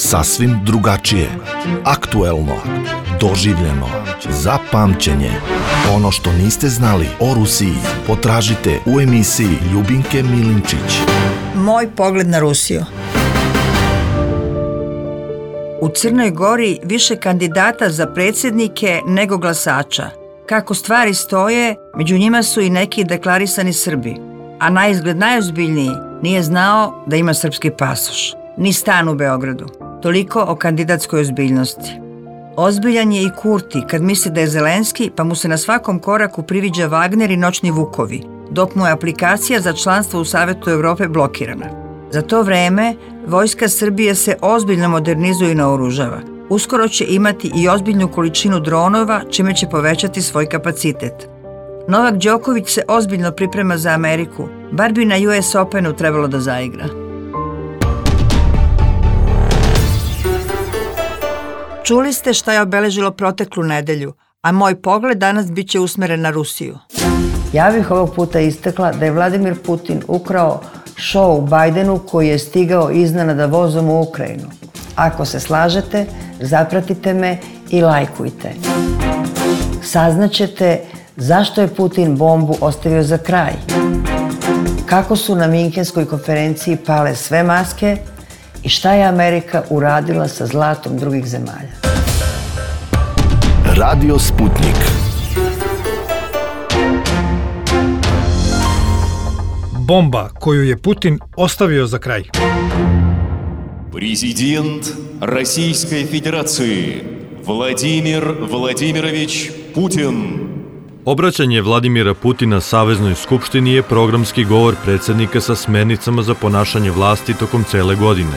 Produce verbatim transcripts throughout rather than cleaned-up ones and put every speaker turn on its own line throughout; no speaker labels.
Sasvim drugačije, aktuelno, doživljeno, za pamćenje. Ono što niste znali o Rusiji potražite u emisiji Ljubinke Milinčić.
Moj pogled na Rusiju. U Crnoj Gori više kandidata za predsjednike nego glasača. Kako stvari stoje, među njima su i neki deklarisani Srbi, a naizgled najozbiljniji nije znao da ima srpski pasoš, ni stan u Beogradu. Toliko o kandidatskoj ozbiljnosti. Ozbiljan je i Kurti kad misli da je Zelenski, pa mu se na svakom koraku priviđa Wagner i noćni vukovi, dok mu je aplikacija za članstvo u Savetu Evrope blokirana. Za to vreme, vojska Srbije se ozbiljno modernizuje i naoružava. Uskoro će imati i ozbiljnu količinu dronova, čime će povećati svoj kapacitet. Novak Đoković se ozbiljno priprema za Ameriku, bar bi na U S Openu trebalo da zaigra. Čuli ste šta je obeležilo proteklu nedelju, a moj pogled danas bit će usmeren na Rusiju. Ja bih ovog puta istakla da je Vladimir Putin ukrao šou Bajdenu koji je stigao iznenada vozom u Ukrajinu. Ako se slažete, zapratite me i lajkujte. Saznaćete zašto je Putin bombu ostavio za kraj, kako su na Minhenskoj konferenciji pale sve maske i šta je Amerika uradila sa zlatom drugih zemalja.
Radio Sputnik.
Bomba koju je Putin ostavio za kraj.
Президент Российской Федерации Владимир Владимирович Путин.
Obraćanje Vladimira Putina Saveznoj skupštini je programski govor predsjednika sa smernicama za ponašanje vlasti tokom cele godine.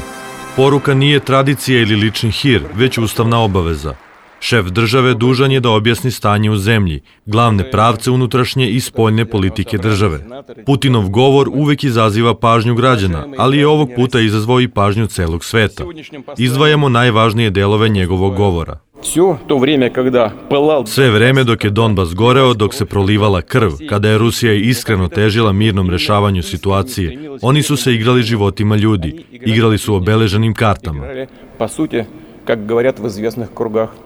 Poruka nije tradicija ili lični hir, već ustavna obaveza. Šef države dužan je da objasni stanje u zemlji, glavne pravce unutrašnje i spoljne politike države. Putinov govor uvek izaziva pažnju građana, ali je ovog puta izazvao i pažnju celog sveta. Izdvajamo najvažnije delove njegovog govora. Sve vreme dok je Donbas goreo, dok se prolivala krv, kada je Rusija iskreno težila mirnom rešavanju situacije, oni su se igrali životima ljudi, igrali su obeleženim kartama.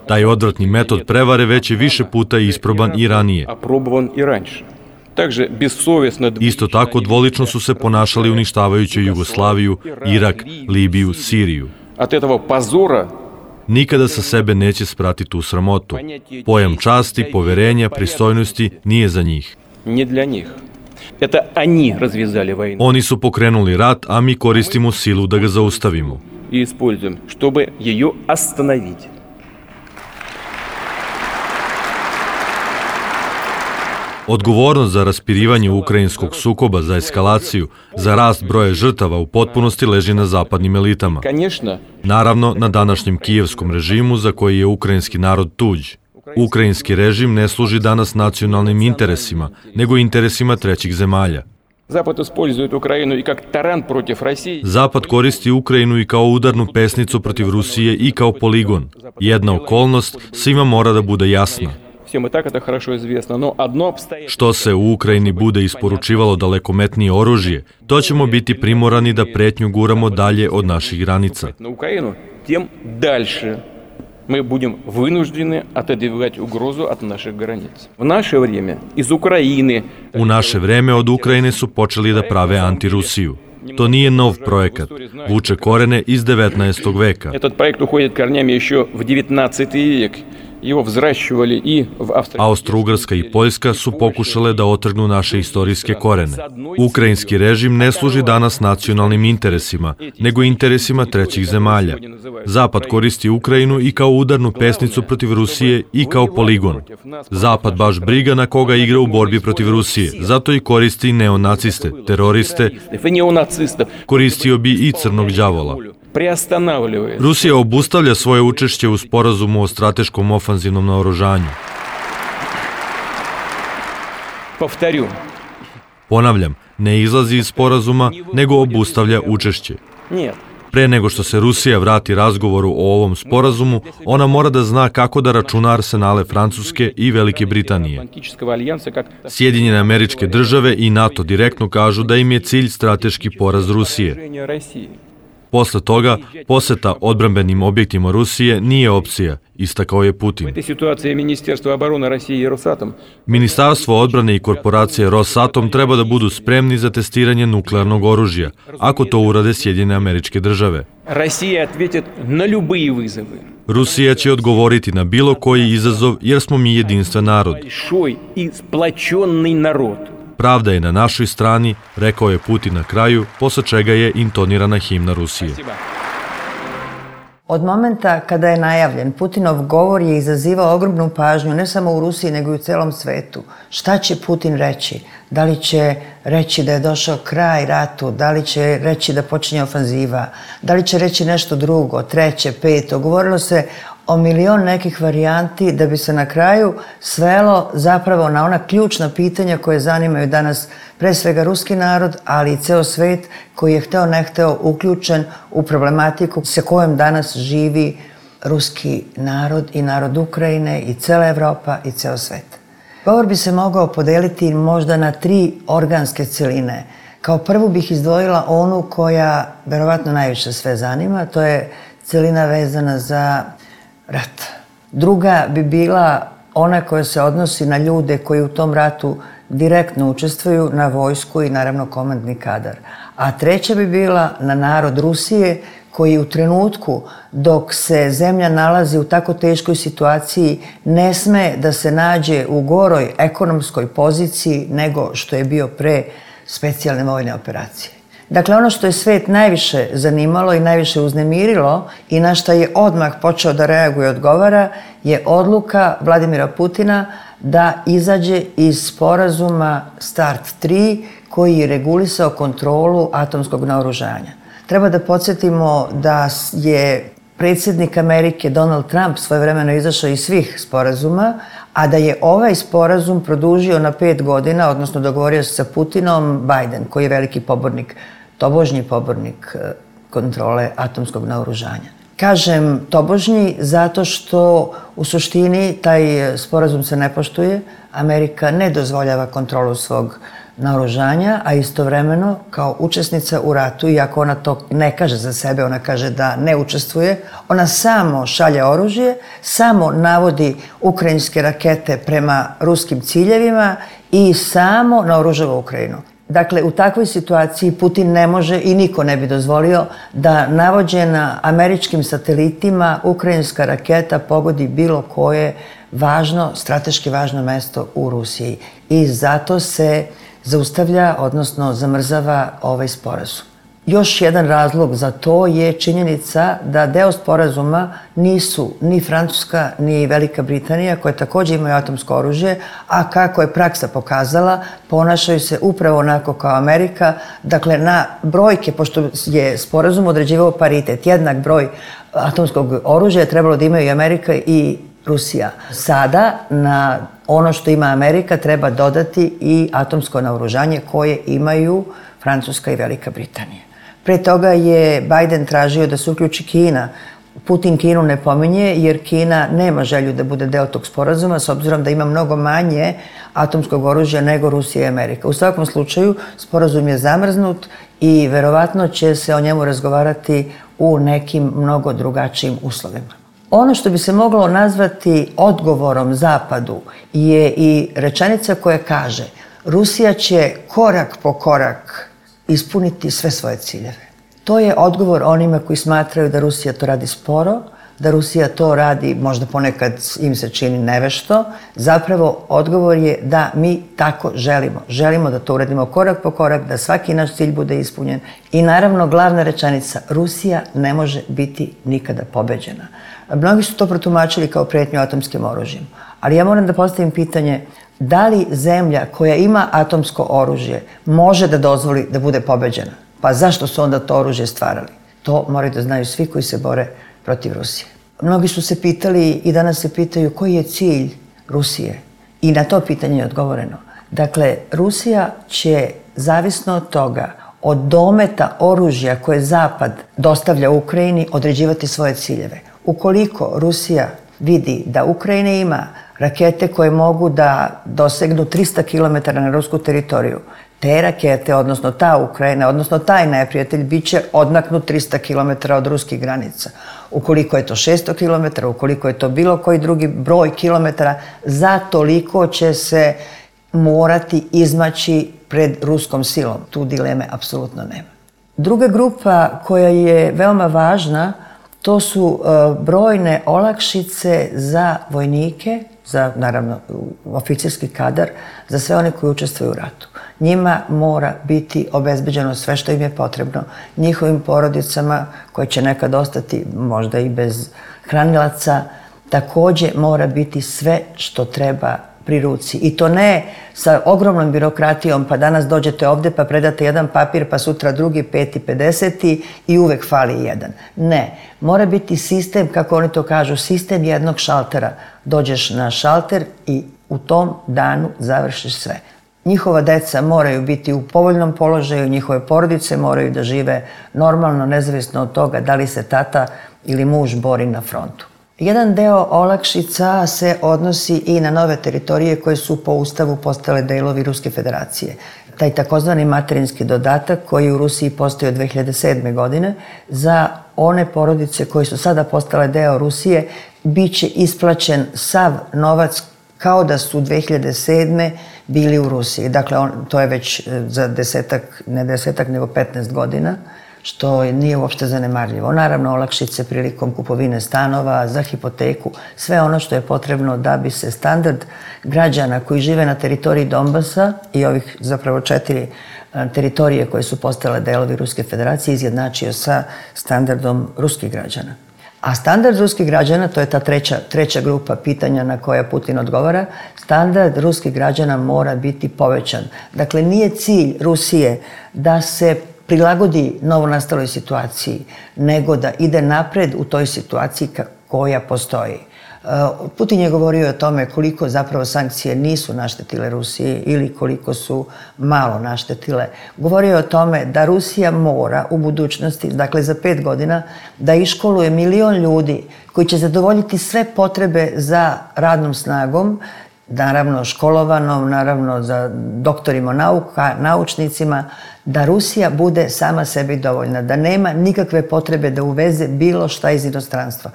Taj odvratni metod prevare već je više puta isproban i ranije. Isto tako dvolično su se ponašali uništavajući Jugoslaviju, Irak, Libiju, Siriju. Nikada sa sebe neće sprati tu sramotu. Pojam časti, poverenja, pristojnosti nije za njih. Oni su pokrenuli rat, a mi koristimo silu da ga zaustavimo.
И используем, чтобы ее остановить.
Odgovornost za raspirivanje ukrajinskog sukoba, za eskalaciju, za rast broja žrtava u potpunosti leži na zapadnim elitama. Naravno, na današnjem kijevskom režimu za koji je ukrajinski narod tuđ. Ukrajinski režim ne služi danas nacionalnim interesima, nego interesima trećih zemalja. Zapad koristi Ukrajinu i kao udarnu pesnicu protiv Rusije i kao poligon. Jedna okolnost svima mora da bude jasna. Što se u Ukrajini bude isporučivalo dalekometnije oružje, to ćemo biti primorani da pretnju guramo dalje od naših granica.
Мы будем вынуждены отодвигать угрозу от наших границ. В наше время из Украины...
U naše vreme od Ukrajine su počeli da prave antirusiju. To nije nov projekat, vuče korene iz devetnaestog veka.
Этот проект уходит корнями еще в девятнадцатый век. Его взращивали и в Австрии.
Austro-Ugarska i Poljska su pokušale da otrgnu naše istorijske korene. Ukrajinski režim ne služi danas nacionalnim interesima, nego interesima trećih zemalja. Zapad koristi Ukrajinu i kao udarnu pesnicu protiv Rusije i kao poligon. Zapad baš briga na koga igra u borbi protiv Rusije, zato i koristi neonaciste, teroriste, koristio bi i crnog đavola. Rusija obustavlja svoje učešće u sporazumu o strateškom ofanzivnom naoružanju. Ponavljam, ne izlazi iz sporazuma, nego obustavlja učešće. Pre nego što se Rusija vrati razgovoru o ovom sporazumu, ona mora da zna kako da računa arsenale Francuske i Velike Britanije. Sjedinjene Američke Države i NATO direktno kažu da im je cilj strateški poraz Rusije. Posle toga, poseta odbrambenim objektima Rusije nije opcija, istakao je Putin. Ministarstvo odbrane i korporacije Rosatom treba da budu spremni za testiranje nuklearnog oružja, ako to urade Sjedinjene Američke Države. Rusija će odgovoriti na bilo koji izazov jer smo mi jedinstven narod. Pravda je na našoj strani, rekao je Putin na kraju, posle čega je intonirana himna Rusije.
Od momenta kada je najavljen, Putinov govor je izazivao ogromnu pažnju ne samo u Rusiji nego i u celom svetu. Šta će Putin reći? Da li će reći da je došao kraj ratu? Da li će reći da počinje ofanziva? Da li će reći nešto drugo, treće, peto? Govorilo se o milion nekih varijanti da bi se na kraju svelo zapravo na ona ključna pitanja koje zanimaju danas pre svega ruski narod, ali i ceo svet koji je hteo ne hteo uključen u problematiku sa kojom danas živi ruski narod i narod Ukrajine i cela Evropa i ceo svet. Govor bi se mogao podeliti možda na tri organske celine. Kao prvu bih izdvojila onu koja verovatno najviše sve zanima, to je celina vezana za rat. Druga bi bila ona koja se odnosi na ljude koji u tom ratu direktno učestvuju, na vojsku i naravno komandni kadar. A treća bi bila na narod Rusije koji u trenutku dok se zemlja nalazi u tako teškoj situaciji ne sme da se nađe u goroj ekonomskoj poziciji nego što je bio pre specijalne vojne operacije. Dakle, ono što je svet najviše zanimalo i najviše uznemirilo i na šta je odmah počeo da reaguje i odgovara je odluka Vladimira Putina da izađe iz sporazuma START tri koji je regulisao kontrolu atomskog naoružanja. Treba da podsjetimo da je predsjednik Amerike Donald Trump svojevremeno izašao iz svih sporazuma, a da je ovaj sporazum produžio na pet godina, odnosno dogovorio se sa Putinom Biden, koji je veliki pobornik, tobožnji pobornik kontrole atomskog naoružanja. Kažem tobožnji zato što u suštini taj sporazum se ne poštuje, Amerika ne dozvoljava kontrolu svog naoružanja, a istovremeno kao učesnica u ratu, iako ona to ne kaže za sebe, ona kaže da ne učestvuje, ona samo šalje oružje, samo navodi ukrajinske rakete prema ruskim ciljevima i samo naoružava Ukrajinu. Dakle, u takvoj situaciji Putin ne može i niko ne bi dozvolio da navođena američkim satelitima ukrajinska raketa pogodi bilo koje važno, strateški važno mesto u Rusiji. I zato se zaustavlja, odnosno zamrzava ovaj sporazum. Još jedan razlog za to je činjenica da deo sporazuma nisu ni Francuska ni Velika Britanija, koje takođe imaju atomsko oružje, a kako je praksa pokazala, ponašaju se upravo onako kao Amerika. Dakle, na brojke, pošto je sporazum određivao paritet, jednak broj atomskog oružja je trebalo da imaju i Amerika i Rusija. Sada na ono što ima Amerika treba dodati i atomsko naoružanje koje imaju Francuska i Velika Britanija. Pre toga je Biden tražio da se uključi Kina. Putin Kinu ne pominje jer Kina nema želju da bude deo tog sporazuma s obzirom da ima mnogo manje atomskog oružja nego Rusija i Amerika. U svakom slučaju, sporazum je zamrznut i verovatno će se o njemu razgovarati u nekim mnogo drugačijim uslovima. Ono što bi se moglo nazvati odgovorom Zapadu je i rečenica koja kaže Rusija će korak po korak ispuniti sve svoje ciljeve. To je odgovor onima koji smatraju da Rusija to radi sporo, da Rusija to radi, možda ponekad im se čini nevešto. Zapravo, odgovor je da mi tako želimo. Želimo da to uradimo korak po korak, da svaki naš cilj bude ispunjen. I naravno, glavna rečenica, Rusija ne može biti nikada pobeđena. Mnogi su to protumačili kao pretnju atomskim oružjem. Ali ja moram da postavim pitanje, da li zemlja koja ima atomsko oružje može da dozvoli da bude pobeđena? Pa zašto su onda to oružje stvarali? To moraju da znaju svi koji se bore protiv Rusije. Mnogi su se pitali i danas se pitaju koji je cilj Rusije. I na to pitanje je odgovoreno. Dakle, Rusija će, zavisno od toga, od dometa oružja koje Zapad dostavlja Ukrajini, određivati svoje ciljeve. Ukoliko Rusija vidi da Ukrajina ima rakete koje mogu da dosegnu trista kilometara na rusku teritoriju, te rakete, odnosno ta Ukrajina, odnosno taj neprijatelj, bit će odmaknut trista kilometara od ruskih granica. Ukoliko je to šesto kilometara, ukoliko je to bilo koji drugi broj kilometara, za toliko će se morati izmaći pred ruskom silom. Tu dileme apsolutno nema. Druga grupa koja je veoma važna, to su brojne olakšice za vojnike, za, naravno, oficirski kadar, za sve one koji učestvuju u ratu. Njima mora biti obezbeđeno sve što im je potrebno, njihovim porodicama koje će nekad ostati možda i bez hranilaca, takođe mora biti sve što treba pri ruci. I to ne sa ogromnom birokratijom, pa danas dođete ovde pa predate jedan papir, pa sutra drugi, peti, pedeseti i uvek fali jedan. Ne, mora biti sistem, kako oni to kažu, sistem jednog šaltera. Dođeš na šalter i u tom danu završiš sve. Njihova deca moraju biti u povoljnom položaju, njihove porodice moraju da žive normalno, nezavisno od toga da li se tata ili muž bori na frontu. Jedan deo olakšica se odnosi i na nove teritorije koje su po ustavu postale delovi Ruske federacije. Taj takozvani materinski dodatak koji u Rusiji postoji od dve hiljade sedme. godine za one porodice koje su sada postale deo Rusije bit će isplaćen sav novac kao da su dve hiljade sedme. bili u Rusiji. Dakle, on, to je već za desetak, ne desetak, nego petnaest godina, što nije uopšte zanemarljivo. Naravno, olakšice prilikom kupovine stanova, za hipoteku, sve ono što je potrebno da bi se standard građana koji žive na teritoriji Donbasa i ovih zapravo četiri teritorije koje su postale delovi Ruske federacije izjednačio sa standardom ruskih građana. A standard ruskih građana, to je ta treća, treća grupa pitanja na koja Putin odgovara, standard ruskih građana mora biti povećan. Dakle, nije cilj Rusije da se prilagodi novonastaloj situaciji, nego da ide napred u toj situaciji koja postoji. Putin je govorio o tome koliko zapravo sankcije nisu naštetile Rusiji ili koliko su malo naštetile. Govorio je o tome da Rusija mora u budućnosti, dakle za pet godina, da iškoluje milion ljudi koji će zadovoljiti sve potrebe za radnom snagom, naravno školovanom, naravno za doktorima nauka, naučnicima, da Rusija bude sama sebi dovoljna, da nema nikakve potrebe da uveze bilo šta iz inostranstva.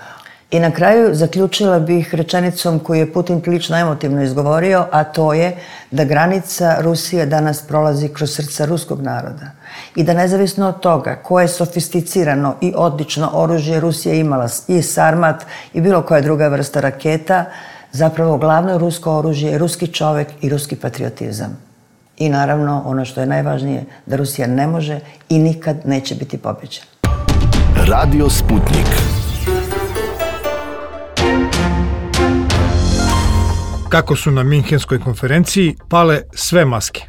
I na kraju zaključila bih rečenicom koju je Putin prilično emotivno izgovorio, a to je da granica Rusije danas prolazi kroz srca ruskog naroda. I da nezavisno od toga koje sofisticirano i odlično oružje Rusija imala, i Sarmat i bilo koja druga vrsta raketa, zapravo glavno rusko oružje je ruski čovek i ruski patriotizam. I naravno, ono što je najvažnije, da Rusija ne može i nikad neće biti pobeđena.
Radio Sputnik.
Kako su na Minhenskoj konferenciji pale sve maske.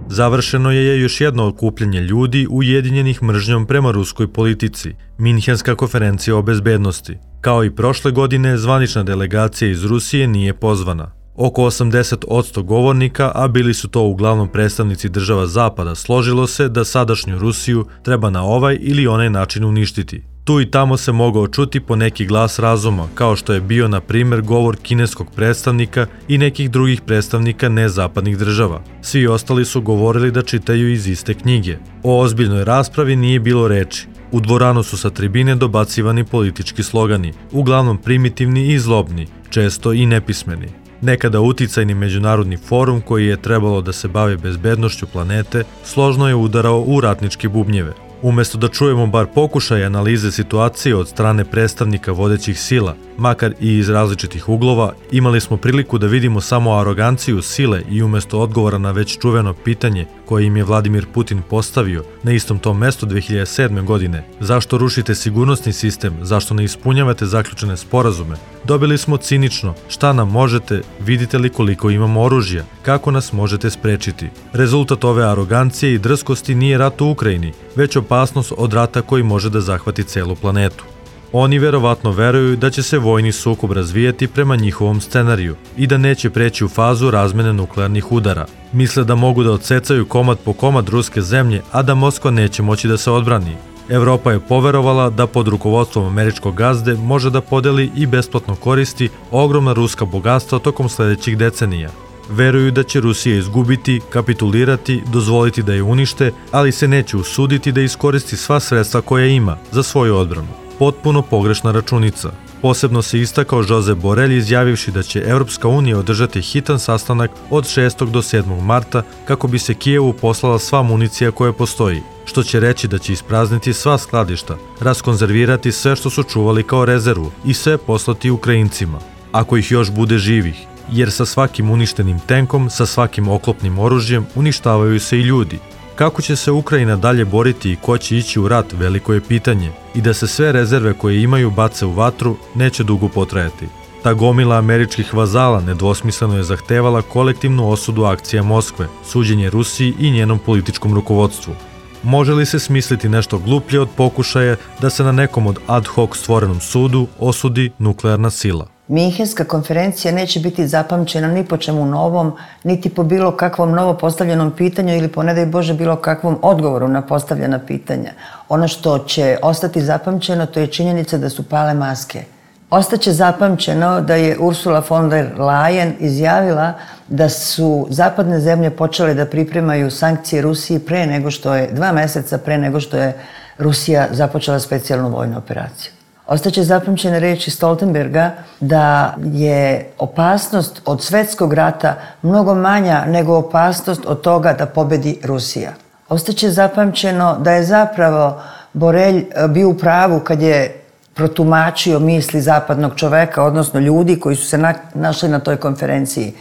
Završeno je još jedno okupljanje ljudi ujedinjenih mržnjom prema ruskoj politici, Minhenska konferencija o bezbednosti. Kao i prošle godine, zvanična delegacija iz Rusije nije pozvana. Oko osamdeset posto govornika, a bili su to uglavnom predstavnici država Zapada, složilo se da sadašnju Rusiju treba na ovaj ili onaj način uništiti. Tu i tamo se mogao čuti po neki glas razuma, kao što je bio, na primjer, govor kineskog predstavnika i nekih drugih predstavnika nezapadnih država. Svi ostali su govorili da čitaju iz iste knjige. O ozbiljnoj raspravi nije bilo reči. U dvoranu su sa tribine dobacivani politički slogani, uglavnom primitivni i zlobni, često i nepismeni. Nekada uticajni međunarodni forum koji je trebalo da se bavi bezbednošću planete, složno je udarao u ratničke bubnjeve. Umesto da čujemo bar pokušaj analize situacije od strane predstavnika vodećih sila, makar i iz različitih uglova, imali smo priliku da vidimo samo aroganciju sile i umesto odgovora na već čuveno pitanje koje im je Vladimir Putin postavio na istom tom mestu dve hiljade sedme. godine, zašto rušite sigurnosni sistem, zašto ne ispunjavate zaključene sporazume, dobili smo cinično, šta nam možete, vidite li koliko imamo oružja, kako nas možete sprečiti. Rezultat ove arogancije i drskosti nije rat u Ukrajini, već opasnost od rata koji može da zahvati celu planetu. Oni verovatno veruju da će se vojni sukob razvijati prema njihovom scenariju i da neće preći u fazu razmene nuklearnih udara. Misle da mogu da odsecaju komad po komad ruske zemlje, a da Moskva neće moći da se odbrani. Evropa je poverovala da pod rukovodstvom američkog gazde može da podeli i besplatno koristi ogromna ruska bogatstva tokom sledećih decenija. Veruju da će Rusija izgubiti, kapitulirati, dozvoliti da je unište, ali se neće usuditi da iskoristi sva sredstva koja ima za svoju odbranu. Potpuno pogrešna računica. Posebno se istakao Josep Borrell izjavivši da će Evropska unija održati hitan sastanak od šestog do sedmog marta kako bi se Kijevu poslala sva municija koja postoji, što će reći da će isprazniti sva skladišta, raskonzervirati sve što su čuvali kao rezervu i sve poslati Ukrajincima, ako ih još bude živih, jer sa svakim uništenim tenkom, sa svakim oklopnim oružjem uništavaju se i ljudi. Kako će se Ukrajina dalje boriti i ko će ići u rat, veliko je pitanje, i da se sve rezerve koje imaju bace u vatru, neće dugo potrajati. Ta gomila američkih vazala nedvosmisleno je zahtevala kolektivnu osudu akcija Moskve, suđenje Rusiji i njenom političkom rukovodstvu. Može li se smisliti nešto gluplje od pokušaja da se na nekom od ad hoc stvorenom sudu osudi nuklearna sila?
Minhenska konferencija neće biti zapamćena ni po čemu novom, niti po bilo kakvom novo postavljenom pitanju ili po, ne daj Bože, bilo kakvom odgovoru na postavljena pitanja. Ono što će ostati zapamćeno, to je činjenica da su pale maske. Ostaće zapamćeno da je Ursula von der Leyen izjavila da su zapadne zemlje počele da pripremaju sankcije Rusiji pre nego što je, dva meseca pre nego što je Rusija započela specijalnu vojnu operaciju. Ostaće zapamćene reči Stoltenberga da je opasnost od svetskog rata mnogo manja nego opasnost od toga da pobedi Rusija. Ostaće zapamćeno da je zapravo Borrell bio u pravu kad je protumačio misli zapadnog čoveka, odnosno ljudi koji su se na, našli na toj konferenciji.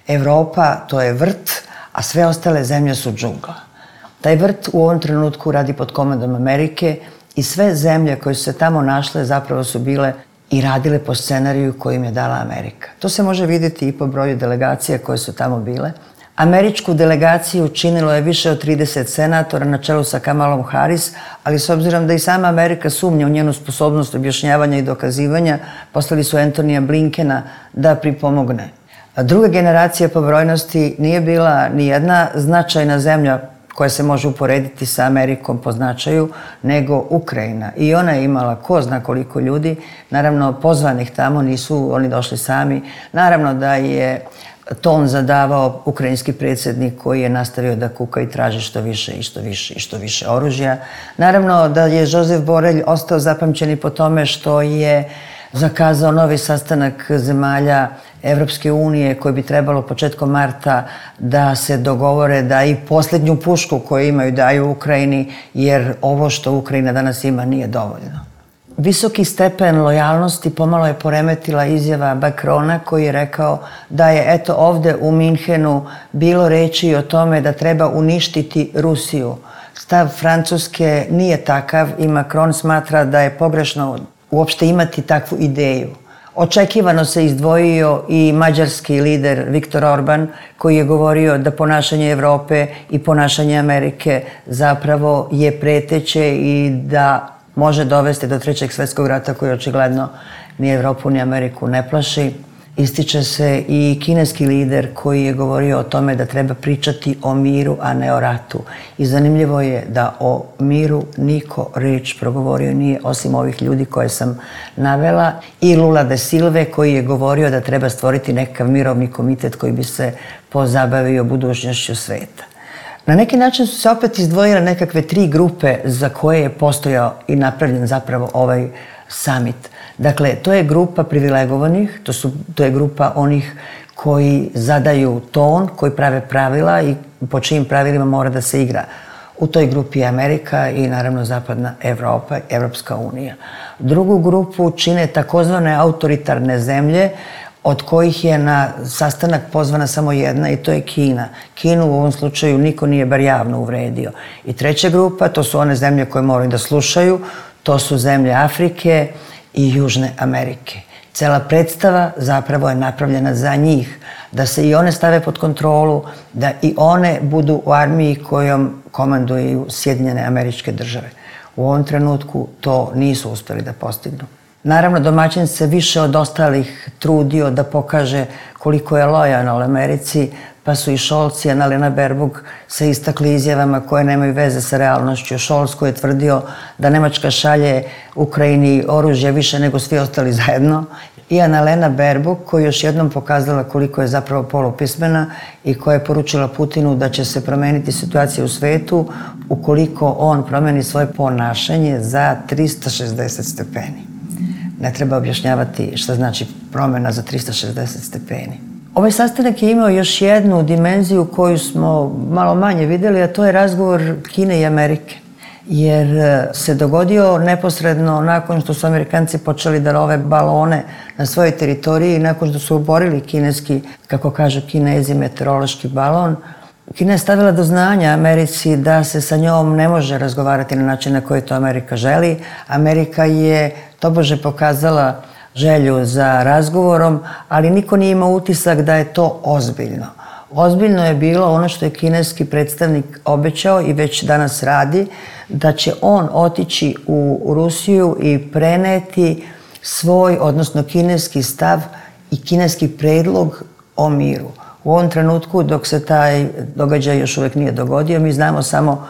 Evropa, to je vrt, a sve ostale zemlje su džungla. Taj vrt u ovom trenutku radi pod komandom Amerike i sve zemlje koje su se tamo našle zapravo su bile i radile po scenariju koji im je dala Amerika. To se može vidjeti i po broju delegacija koje su tamo bile. Američku delegaciju činilo je više od trideset senatora na čelu sa Kamalom Harris, ali s obzirom da i sama Amerika sumnja u njenu sposobnost objašnjavanja i dokazivanja, poslali su Antonija Blinkena da pripomogne. Druga generacija po brojnosti nije bila ni jedna značajna zemlja koja se može uporediti sa Amerikom po značaju, nego Ukrajina. I ona je imala ko zna koliko ljudi, naravno pozvanih tamo, nisu oni došli sami. Naravno da je ton zadavao ukrajinski predsjednik koji je nastavio da kuka i traži što više i što više i što više oružja. Naravno da je Josep Borrell ostao zapamćen i po tome što je zakazao novi sastanak zemalja Evropske unije koji bi trebalo početkom marta da se dogovore da i posljednju pušku koju imaju daju Ukrajini, jer ovo što Ukrajina danas ima nije dovoljno. Visoki stepen lojalnosti pomalo je poremetila izjava Macrona koji je rekao da je eto ovde u Minhenu bilo reči o tome da treba uništiti Rusiju. Stav Francuske nije takav i Macron smatra da je pogrešno uopšte imati takvu ideju. Očekivano se izdvojio i mađarski lider Viktor Orban koji je govorio da ponašanje Evrope i ponašanje Amerike zapravo je preteće i da može dovesti do trećeg svjetskog rata koji očigledno ni Evropu ni Ameriku ne plaši. Ističe se i kineski lider koji je govorio o tome da treba pričati o miru, a ne o ratu. I zanimljivo je da o miru niko reč progovorio nije osim ovih ljudi koje sam navela i Lula da Silve koji je govorio da treba stvoriti nekakav mirovni komitet koji bi se pozabavio budućnošću sveta. Na neki način su se opet izdvojile nekakve tri grupe za koje je postojao i napravljen zapravo ovaj summit. Dakle, to je grupa privilegovanih, to, su, to je grupa onih koji zadaju ton, koji prave pravila i po čijim pravilima mora da se igra. U toj grupi je Amerika i naravno Zapadna Evropa, Evropska unija. Drugu grupu čine takozvane autoritarne zemlje, od kojih je na sastanak pozvana samo jedna i to je Kina. Kinu u ovom slučaju niko nije bar javno uvredio. I treća grupa, to su one zemlje koje moraju da slušaju, to su zemlje Afrike i Južne Amerike. Cela predstava zapravo je napravljena za njih, da se i one stave pod kontrolu, da i one budu u armiji kojom komanduju Sjedinjene Američke Države. U ovom trenutku to nisu uspjeli da postignu. Naravno, domaćin se više od ostalih trudio da pokaže koliko je lojalan Americi, pa pa su i Scholz i Annalena Baerbock se istakli izjavama koje nemaju veze sa realnošću. Scholz koji je tvrdio da Nemačka šalje Ukrajini oružje više nego svi ostali zajedno, i Annalena Baerbock koji još jednom pokazala koliko je zapravo polupismena i koja je poručila Putinu da će se promeniti situacija u svetu ukoliko on promeni svoje ponašanje za trista šezdeset stepeni. Ne treba objašnjavati šta znači promena za trista šezdeset stepeni. Ovaj sastanak je imao još jednu dimenziju koju smo malo manje videli, a to je razgovor Kine i Amerike. Jer se dogodio neposredno nakon što su Amerikanci počeli da love balone na svojoj teritoriji, nakon što su oborili kineski, kako kažu Kinezi, meteorološki balon. Kina je stavila do znanja Americi da se sa njom ne može razgovarati na način na koji to Amerika želi. Amerika je tobože pokazala želju za razgovorom, ali niko nije imao utisak da je to ozbiljno. Ozbiljno je bilo ono što je kineski predstavnik obećao i već danas radi, da će on otići u Rusiju i preneti svoj, odnosno kineski stav i kineski predlog o miru. U ovom trenutku, dok se taj događaj još uvijek nije dogodio, mi znamo samo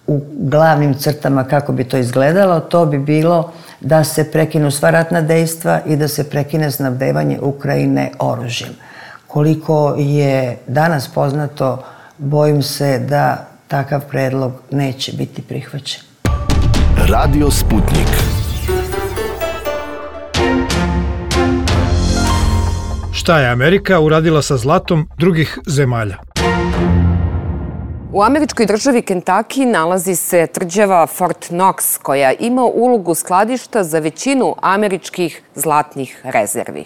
u glavnim crtama kako bi to izgledalo. To bi bilo da se prekinu sva ratna dejstva i da se prekine snabdevanje Ukrajine oružjem. Koliko je danas poznato, bojim se da takav predlog neće biti prihvaćen.
Radio Sputnik.
Šta je Amerika uradila sa zlatom drugih zemalja?
U američkoj državi Kentucky nalazi se tvrđava Fort Knox koja ima ulogu skladišta za većinu američkih zlatnih rezervi.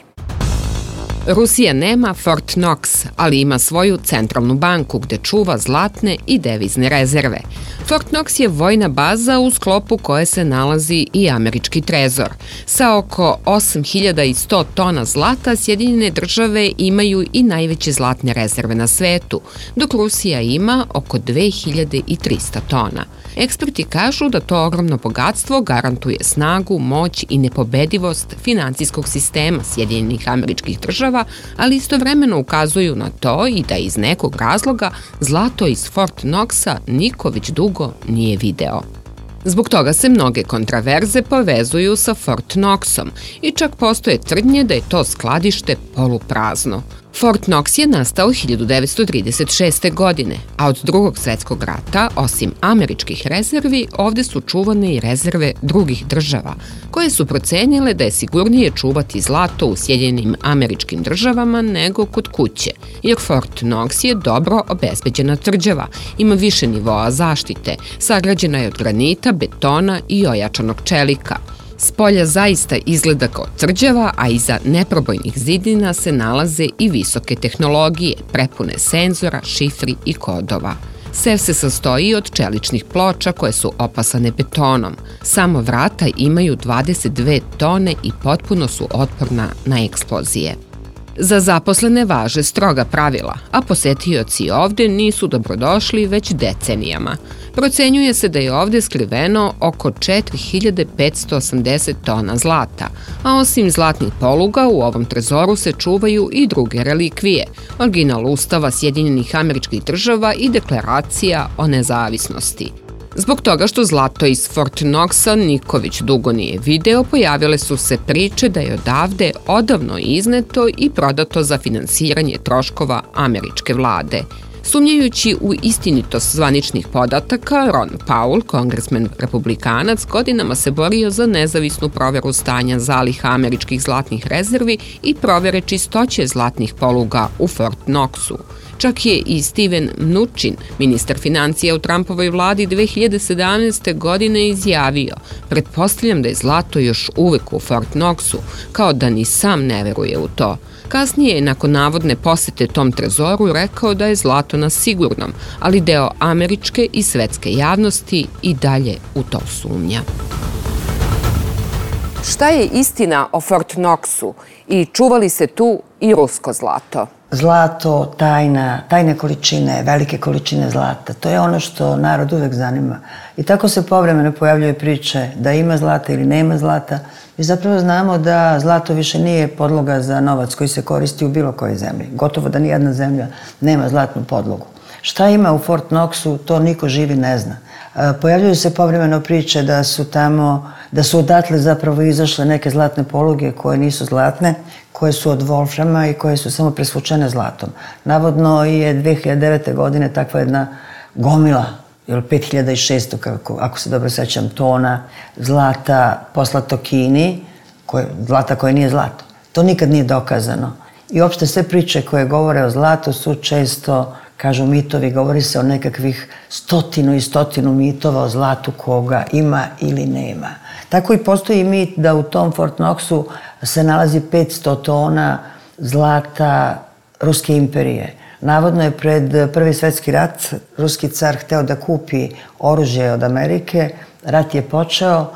Rusija nema Fort Knox, ali ima svoju centralnu banku gde čuva zlatne i devizne rezerve. Fort Knox je vojna baza u sklopu koje se nalazi i američki trezor. Sa oko osam hiljada sto tona zlata Sjedinjene države imaju i najveće zlatne rezerve na svetu, dok Rusija ima oko dve hiljade trista tona. Eksperti kažu da to ogromno bogatstvo garantuje snagu, moć i nepobedivost finansijskog sistema Sjedinjenih američkih država, ali istovremeno ukazuju na to i da iz nekog razloga zlato iz Fort Knoxa niko već dugo nije video. Zbog toga se mnoge kontraverze povezuju sa Fort Knoxom i čak postoje tvrdnje da je to skladište poluprazno. Fort Knox je nastao hiljadu devetsto trideset šeste. godine, a od Drugog svetskog rata, osim američkih rezervi, ovde su čuvane i rezerve drugih država, koje su procenile da je sigurnije čuvati zlato u Sjedinjenim američkim državama nego kod kuće, jer Fort Knox je dobro obezbeđena tvrđava, ima više nivoa zaštite, sagrađena je od granita, betona i ojačanog čelika. Spolja zaista izgleda kao tvrđava, a iza neprobojnih zidina se nalaze i visoke tehnologije, prepune senzora, šifri i kodova. Sev se sastoji od čeličnih ploča koje su opasane betonom. Samo vrata imaju dvadeset dve tone i potpuno su otporna na eksplozije. Za zaposlene važe stroga pravila, a posetioci ovde nisu dobrodošli već decenijama. Procenjuje se da je ovde skriveno oko četiri hiljade petsto osamdeset tona zlata, a osim zlatnih poluga u ovom trezoru se čuvaju i druge relikvije, original Ustava Sjedinjenih američkih država i deklaracija o nezavisnosti. Zbog toga što zlato iz Fort Knoxa niko već dugo nije video, pojavile su se priče da je odavde odavno izneto i prodato za finansiranje troškova američke vlade. Sumnjajući u istinitost zvaničnih podataka, Ron Paul, kongresmen republikanac, godinama se borio za nezavisnu proveru stanja zaliha američkih zlatnih rezervi i provere čistoće zlatnih poluga u Fort Knoxu. Čak je i Steven Mnuchin, ministar financija u Trumpovoj vladi dve hiljade sedamnaeste. godine izjavio: "Pretpostavljam da je zlato još uvek u Fort Knoxu, kao da ni sam ne veruje u to." Kasnije je nakon navodne posete tom trezoru rekao da je zlato na sigurnom, ali deo američke i svetske javnosti i dalje u to sumnja. Šta je istina o Fort Knoxu i čuva li se tu i rusko zlato?
zlato, tajna, tajne količine, velike količine zlata. To je ono što narod uvek zanima. I tako se povremeno pojavljaju priče da ima zlata ili nema zlata. Mi zapravo znamo da zlato više nije podloga za novac koji se koristi u bilo kojoj zemlji. Gotovo da nijedna zemlja nema zlatnu podlogu. Šta ima u Fort Knoxu, to niko živi ne zna. Pojavljuju se povremeno priče da su tamo, da su odatle zapravo izašle neke zlatne poluge koje nisu zlatne, koje su od wolframa i koje su samo presvučene zlatom. Navodno je dve hiljade devete. godine takva jedna gomila, ili pet hiljada šesto, kako, ako se dobro sećam, tona zlata poslato Kini, koje, zlata koje nije zlato. To nikad nije dokazano. I uopšte sve priče koje govore o zlatu su često, kažu mitovi, govori se o nekakvih stotinu i stotinu mitova o zlatu koga ima ili nema. Tako i postoji mit da u tom Fort Knoxu se nalazi petsto tona zlata Ruske imperije. Navodno je pred Prvi svetski rat ruski car hteo da kupi oružje od Amerike, rat je počeo,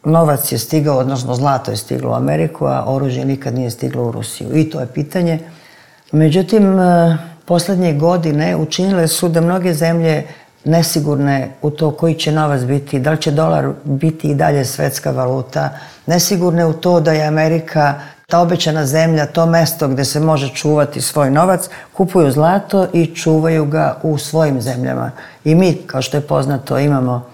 novac je stigao, odnosno zlato je stiglo u Ameriku, a oružje nikad nije stiglo u Rusiju. I to je pitanje. Međutim, poslednje godine učinile su da mnoge zemlje nesigurne u to koji će novac biti, da li će dolar biti i dalje svetska valuta, nesigurne u to da je Amerika ta obećana zemlja, to mesto gde se može čuvati svoj novac, kupuju zlato i čuvaju ga u svojim zemljama. I mi, kao što je poznato, imamo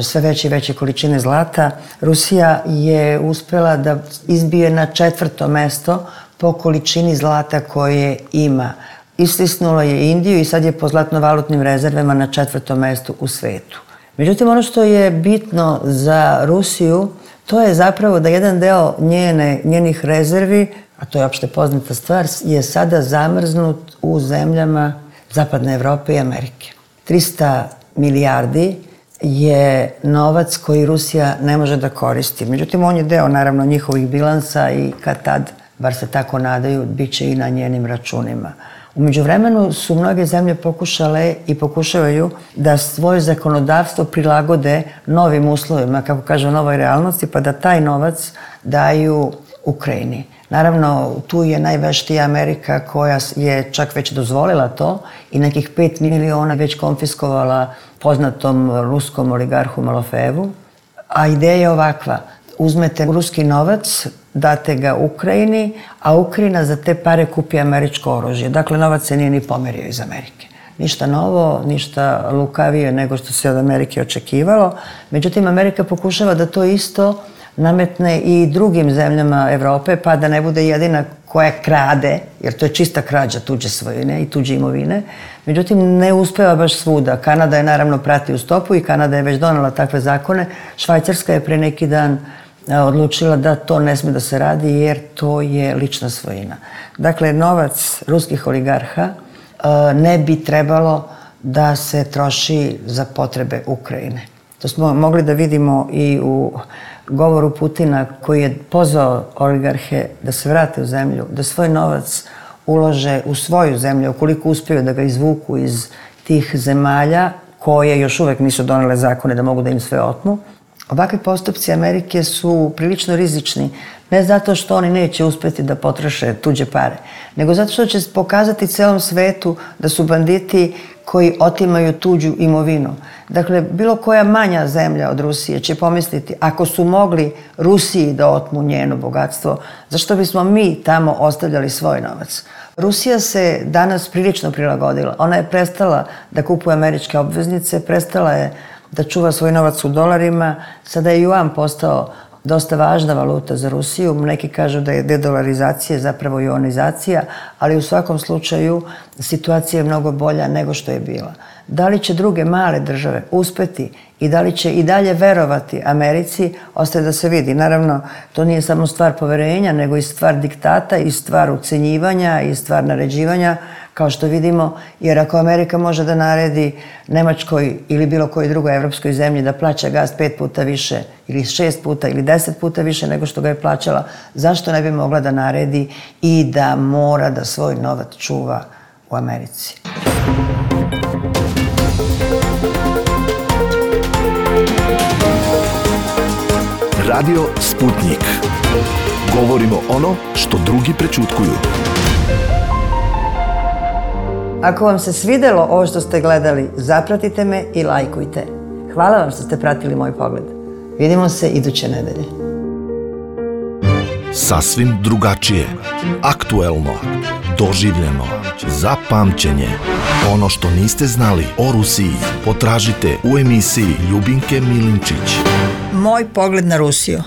sve veće i veće količine zlata. Rusija je uspela da izbije na četvrto mesto po količini zlata koje ima. Istisnulo je Indiju i sad je po zlatno-valutnim rezervama na četvrtom mestu u svetu. Međutim, ono što je bitno za Rusiju, to je zapravo da jedan deo njene, njenih rezervi, a to je opšte poznata stvar, je sada zamrznut u zemljama Zapadne Evrope i Amerike. trista milijardi je novac koji Rusija ne može da koristi. Međutim, on je deo, naravno, njihovih bilansa i kad tad, bar se tako nadaju, bit će i na njenim računima. U međuvremenu su mnoge zemlje pokušale i pokušavaju da svoje zakonodavstvo prilagode novim uslovima, kako kažu, novoj realnosti, pa da taj novac daju Ukrajini. Naravno, tu je najveštija Amerika koja je čak već dozvolila to i nekih pet miliona već konfiskovala poznatom ruskom oligarhu Malofejevu. A ideja je ovakva. Uzmete ruski novac, date ga Ukrajini, a Ukrajina za te pare kupi američko oružje. Dakle, novac se nije ni pomerio iz Amerike. Ništa novo, ništa lukavije nego što se od Amerike očekivalo. Međutim, Amerika pokušava da to isto nametne i drugim zemljama Evrope, pa da ne bude jedina koja krade, jer to je čista krađa tuđe svojine i tuđe imovine. Međutim, ne uspeva baš svuda. Kanada je naravno prati u stopu i Kanada je već donela takve zakone. Švajcarska je pre neki dan odlučila da to ne sme da se radi jer to je lična svojina. Dakle, novac ruskih oligarha ne bi trebalo da se troši za potrebe Ukrajine. To smo mogli da vidimo i u govoru Putina koji je pozvao oligarhe da se vrate u zemlju, da svoj novac ulože u svoju zemlju, ukoliko uspiju da ga izvuku iz tih zemalja koje još uvek nisu donele zakone da mogu da im sve otmu. Ovakvi postupci Amerike su prilično rizični, ne zato što oni neće uspeti da potroše tuđe pare, nego zato što će pokazati celom svetu da su banditi koji otimaju tuđu imovinu. Dakle, bilo koja manja zemlja od Rusije će pomisliti, ako su mogli Rusiji da otmu njeno bogatstvo, zašto bismo mi tamo ostavljali svoj novac? Rusija se danas prilično prilagodila. Ona je prestala da kupuje američke obveznice, prestala je da čuva svoj novac u dolarima. Sada je juan postao dosta važna valuta za Rusiju. Neki kažu da je dedolarizacija zapravo juanizacija, ali u svakom slučaju situacija je mnogo bolja nego što je bila. Da li će druge male države uspeti i da li će i dalje verovati Americi, ostaje da se vidi. Naravno, to nije samo stvar poverenja, nego i stvar diktata, i stvar ucenjivanja, i stvar naređivanja, kao što vidimo, jer ako Amerika može da naredi Nemačkoj ili bilo kojoj drugoj evropskoj zemlji da plaća gas pet puta više ili šest puta ili deset puta više nego što ga je plaćala, zašto ne bi mogla da naredi i da mora da svoj novac čuva u Americi?
Radio Sputnik. Govorimo ono što drugi prećutkuju.
Ako vam se svidelo ovo što ste gledali, zapratite me i lajkujte. Hvala vam što ste pratili moj pogled. Vidimo se iduće nedelje.
Sasvim drugačije, aktuelno, doživljeno, za pamćenje. Ono što niste znali o Rusiji potražite u emisiji Ljubinke Milinčić.
Moj pogled na Rusiju.